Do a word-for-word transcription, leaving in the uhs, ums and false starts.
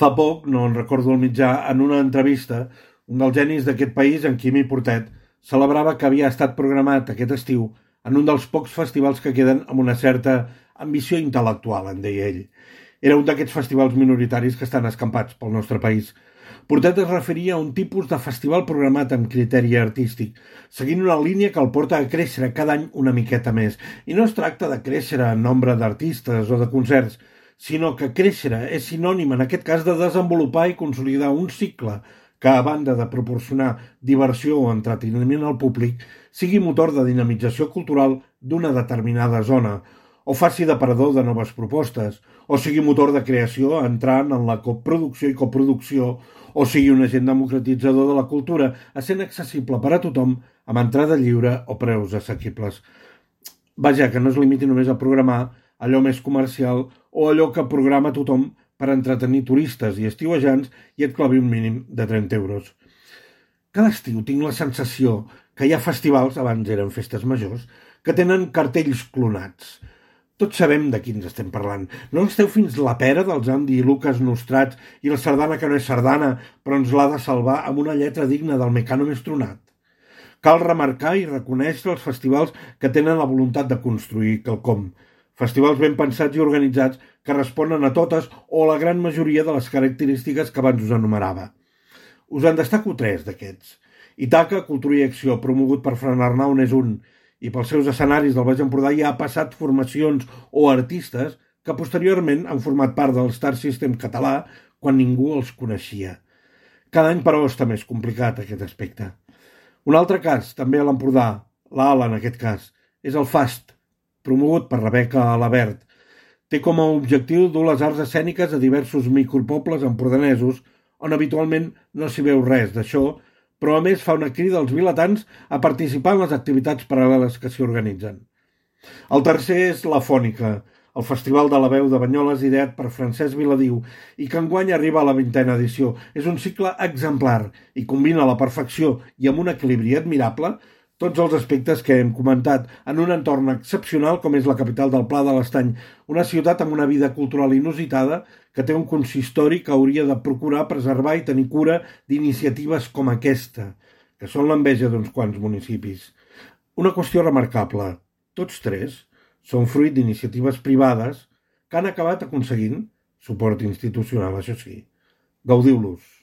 Fa poc, no en recordo el mitjà, en una entrevista, un dels genis d'aquest país, en Quimi Portet, celebrava que havia estat programat aquest estiu en un dels pocs festivals que queden amb una certa ambició intel·lectual, en deia ell. Era un d'aquests festivals minoritaris que estan escampats pel nostre país. Portet es referia a un tipus de festival programat amb criteri artístic, seguint una línia que el porta a créixer cada any una miqueta més. I no es tracta de créixer en nombre d'artistes o de concerts, sinó que créixer és sinònim, en aquest cas, de desenvolupar i consolidar un cicle que, a banda de proporcionar diversió o entreteniment al públic, sigui motor de dinamització cultural d'una determinada zona, o faci d'aparador de noves propostes, o sigui motor de creació entrant en la coproducció i coproducció, o sigui un agent democratitzador de la cultura, essent accessible per a tothom amb entrada lliure o preus assequibles. Vaja, que no es limiti només a programar allò més comercial o allò que programa tothom per entretenir turistes i estiuejants i et clavi un mínim de trenta euros. Cada estiu tinc la sensació que hi ha festivals, abans eren festes majors, que tenen cartells clonats. Tots sabem de quins estem parlant. No esteu fins la pera dels Andy i Lucas nostrats i la sardana que no és sardana, però ens l'ha de salvar amb una lletra digna del Mecano més tronat. Cal remarcar i reconèixer els festivals que tenen la voluntat de construir quelcom. Festivals ben pensats i organitzats que responen a totes o a la gran majoria de les característiques que abans us enumerava. Us en destaco tres d'aquests. Itaca, Cultura i Acció, promogut per Fran Arnau, n'és un, i pels seus escenaris del Baix Empordà ja ha passat formacions o artistes que posteriorment han format part del Star System català quan ningú els coneixia. Cada any, però, està més complicat aquest aspecte. Un altre cas, també a l'Empordà, l'Ala en aquest cas, és el FAST, promogut per Rebeca Alabert. Té com a objectiu dur les arts escèniques a diversos micropobles empordanesos on habitualment no s'hi veu res d'això, però a més fa una crida als vilatans a participar en les activitats paral·leles que s'hi organitzen. El tercer és la Fònica, el Festival de la Veu de Banyoles ideat per Francesc Viladiu i que enguany arriba a la vintena edició. És un cicle exemplar i combina a la perfecció i amb un equilibri admirable tots els aspectes que hem comentat en un entorn excepcional com és la capital del Pla de l'Estany, una ciutat amb una vida cultural inusitada que té un consistori que hauria de procurar preservar i tenir cura d'iniciatives com aquesta, que són l'enveja d'uns quants municipis. Una qüestió remarcable, tots tres són fruit d'iniciatives privades que han acabat aconseguint suport institucional, això sí. Gaudiu-los.